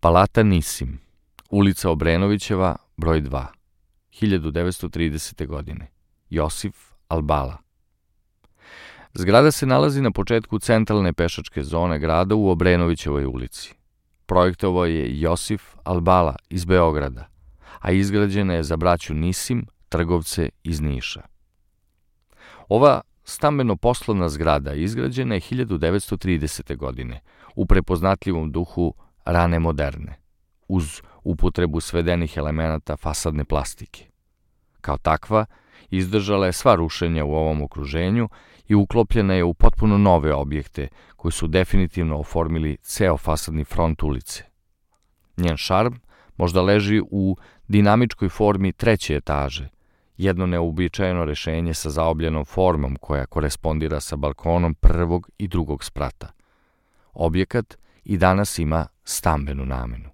Palata Nisim, ulica Obrenovićeva, broj 2, 1930. godine. Josif Albala. Zgrada se nalazi na početku centralne pešačke zone grada u Obrenovićevoj ulici. Projektovao je Josif Albala iz Beograda, a izgrađena je za braću Nisim, trgovce iz Niša. Ova stambeno-poslovna zgrada izgrađena je 1930. godine u prepoznatljivom duhu rane moderne, uz upotrebu svedenih elemenata fasadne plastike. Kao takva, izdržala je sva rušenja u ovom okruženju i uklopljena je u potpuno nove objekte koji su definitivno oformili ceo fasadni front ulice. Njen šarm možda leži u dinamičkoj formi treće etaže, jedno neuobičajeno rešenje sa zaobljenom formom koja korespondira sa balkonom prvog i drugog sprata. Objekat i danas ima stambenu namenu.